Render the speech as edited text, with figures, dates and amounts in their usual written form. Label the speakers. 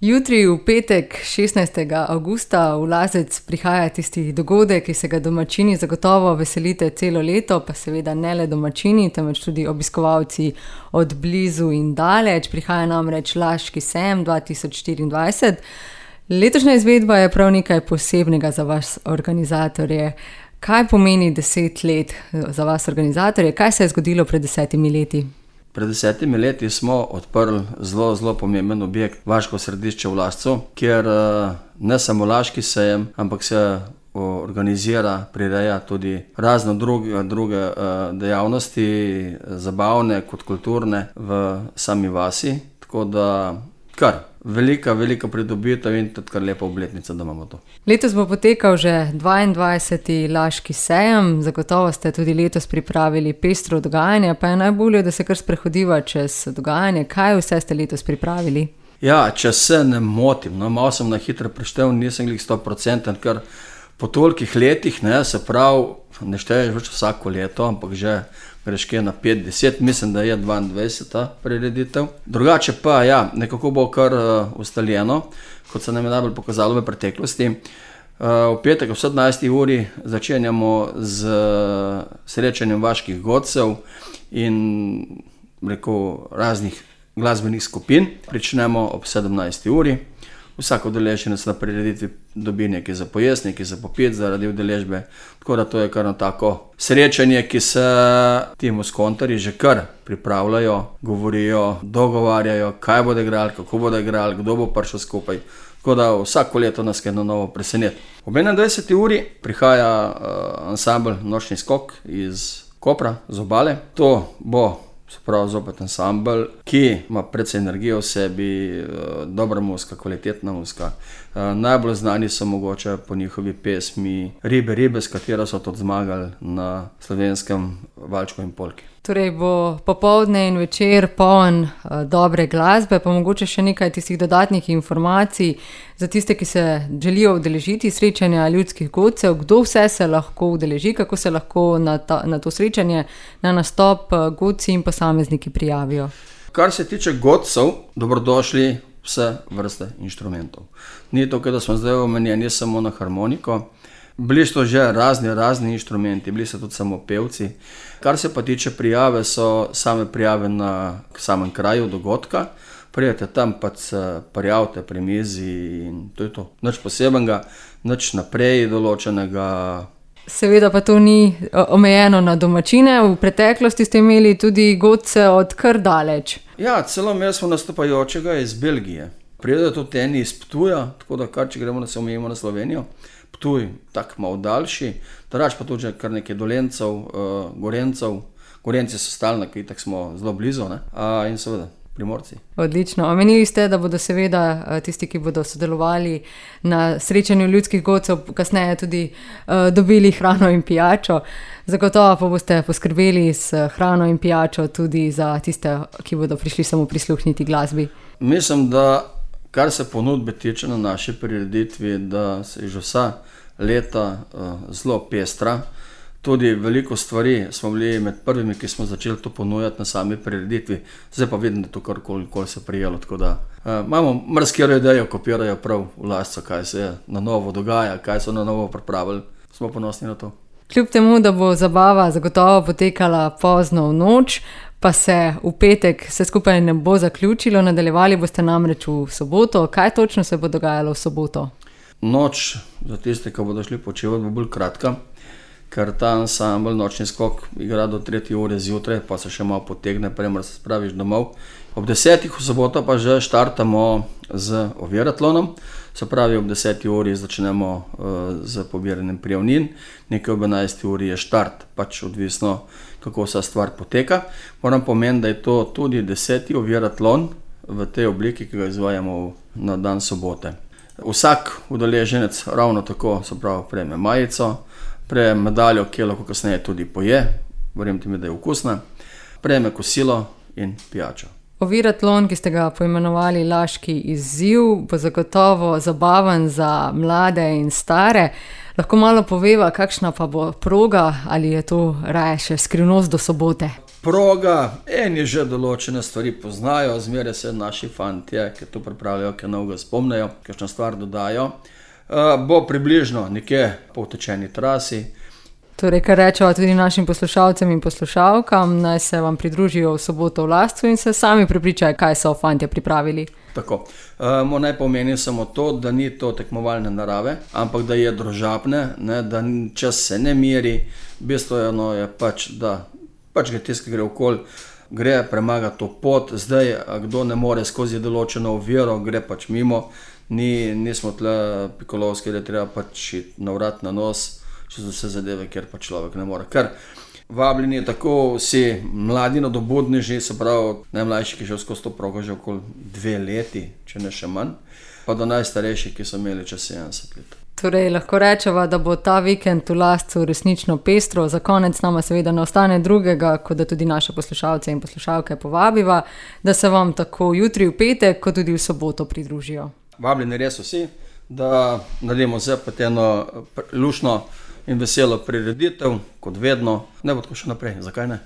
Speaker 1: Jutri v petek, 16. avgusta, v Lazec prihaja tisti dogodek, ki se ga domačini zagotovo veselite celo leto, pa seveda ne le domačini, temveč tudi obiskovalci od blizu in daleč. Prihaja namreč Laški sejem 2024. Letošnja izvedba je prav nekaj posebnega za vas organizatorje. Kaj pomeni 10 let za vas organizatorje? Kaj se je zgodilo pred 10 leti?
Speaker 2: Pred 10 leti smo odprli zelo pomemben objekt, Vaško središče v Lazcu, kjer ne samo Laški sejem, ampak se organizira, prireja tudi razne druge dejavnosti, zabavne kot kulturne v sami vasi. Tako da kar velika pridobitev in tudi kar lepa obletnica, da imamo to.
Speaker 1: Letos bo potekal že 22. Laški sejem, zagotovo ste tudi letos pripravili pestro dogajanje, pa je najbolje, da se kar sprehodiva čez dogajanje. Kaj vse ste letos pripravili?
Speaker 2: Ja, če se ne motim, malo sem na hitro preštel, nisem glih 100%, ker po tolikih letih, se pravi, ne šteješ več vsako leto, ampak že greš kje na 5-10, mislim, da je 22. prireditev. Drugače pa, nekako bo kar ustaljeno, kot se nam je najbolj pokazalo v preteklosti. V petek ob 17. uri začenjamo z srečanjem vaških godcev in raznih glasbenih skupin. Pričnemo ob 17. uri. Vsak udeleženec na prireditvi dobi nekaj za pojesti, nekaj za popiti zaradi udeležbe. Tako da to je kar tako srečanje, ki se ti muskontarji že kar pripravljajo, govorijo, dogovarjajo, kaj bodo igrali, kako bodo igrali, kdo bo prišel skupaj. Tako da vsako leto nas kaj na novo preseneti. Ob 21. uri prihaja ansambl Nočni skok iz Kopra, z Obale. To bo zopet ansambl, ki ima precej energije v sebi, dobra muzika, kvalitetna muzika. Najbolj znani so mogoče po njihovi pesmi Ribe, s katero so tudi zmagali na slovenskem valčku in polki.
Speaker 1: Torej bo popoldne in večer poln dobre glasbe, pa mogoče še nekaj tistih dodatnih informacij za tiste, ki se želijo udeležiti srečanja ljudskih godcev. Kdo vse se lahko udeleži, kako se lahko na to srečanje, na nastop godci in posamezniki prijavijo?
Speaker 2: Kar se tiče godcev, dobrodošli vse vrste inštrumentov. Ni to, da smo zdaj omenjeni samo na harmoniko. Bili so že razni inštrumenti, bili so tudi samo pevci. Kar se pa tiče prijave, so same prijave na samem kraju dogodka. Prijete tam, pa se prijavite pri mizi in to je to. Nič posebenega, nič naprej določenega.
Speaker 1: Seveda pa to ni omejeno na domačine. V preteklosti ste imeli tudi godce od kar daleč.
Speaker 2: Ja, celo imeli smo nastopajočega iz Belgije. Prijedajo tudi eni iz Ptuja, tako da kar če gremo, da se omejimo na Slovenijo. Ptuj, tako malo daljši, drugače pa tudi kar nekaj Dolencev, Gorencev. Gorenci so stalni, ki tako smo zelo blizu, in seveda Primorci. Odlično.
Speaker 1: Omenili ste, da bodo seveda tisti, ki bodo sodelovali na srečanju ljudskih godcev, kasneje tudi dobili hrano in pijačo. Zagotovo pa boste poskrbeli s hrano in pijačo tudi za tiste, ki bodo prišli samo prisluhniti glasbi.
Speaker 2: Mislim, da kar se ponudbe tiče na naši prireditvi, da se je že vsa leta zelo pestra. Tudi veliko stvari smo bili med prvimi, ki smo začeli to ponujati na sami prireditvi. Zdaj pa vidim, da to karkoli se prijelo. Tako da imamo marsikero idejo, kopirajo prav v Lazcu, kaj se na novo dogaja, kaj so na novo pripravili. Smo ponosni na to.
Speaker 1: Kljub temu, da bo zabava zagotovo potekala pozno v noč, pa se v petek vse skupaj ne bo zaključilo, nadaljevali boste namreč v soboto. Kaj točno se bo dogajalo v soboto?
Speaker 2: Noč za tiste, ki bodo šli počivati, bo bolj kratka, ker ta ansambl Nočni skok igra do 3. ure zjutraj, pa se še malo potegne, premor se spraviš domov. Ob 10. v soboto pa že štartamo z oviratlonom, se pravi ob 10. uri začnemo z pobiranjem prijavnin, nekaj ob 11. uri je štart, pač odvisno, kako vsa stvar poteka. Moram pomeniti, da je to tudi 10. oviratlon v tej obliki, ki ga izvajamo na dan sobote. Vsak udeleženec ravno tako, se pravi, prejme majico, prejme medaljo, ki lahko kasneje tudi poje, verjemite mi, da je okusna, prejme kosilo in pijačo.
Speaker 1: Oviratlon, ki ste ga poimenovali Laški izziv, bo zagotovo zabaven za mlade in stare. Lahko malo poveva, kakšna pa bo proga, ali je to raje še skrivnost do sobote?
Speaker 2: Proga, eni že določene stvari poznajo, zmeraj se naši fantje, ki to pripravljajo, ki novega spomnejo, kakšno stvar dodajo. Bo približno nekje po utečeni trasi.
Speaker 1: Torej, kar rečeva tudi našim poslušalcem in poslušalkam, naj se vam pridružijo v soboto v Lascu in se sami prepričajo, kaj so fantje pripravili.
Speaker 2: Tako. Naj pomenim samo to, da ni to tekmovalne narave, ampak da je družabne, ne, da čas se ne meri. Bistveno je pač, da pač ga tisti, ki gre okoli, gre premagati to pot. Zdaj, kdo ne more skozi določeno oviro, gre pač mimo. Nismo tle pikolovski, da treba pač na vrat na nos, če so vse zadeve, kjer pa človek ne more. Ker vabljeni tako vsi mladi nadobudneži, se pravi najmlajši, ki že skozi to progo že okoli 2 leti, če ne še manj, pa do najstarejših, ki so imeli čez 70 let.
Speaker 1: Torej, lahko rečeva, da bo ta vikend v Lascu resnično pestro. Za konec nama seveda ne ostane drugega, kot da tudi naše poslušalce in poslušalke povabiva, da se vam tako jutri v petek, kot tudi v soboto pridružijo.
Speaker 2: Vabljeni res vsi, da naredimo zopet eno luštno in veselo prireditev, kot vedno. Ne bo tako še naprej, zakaj ne?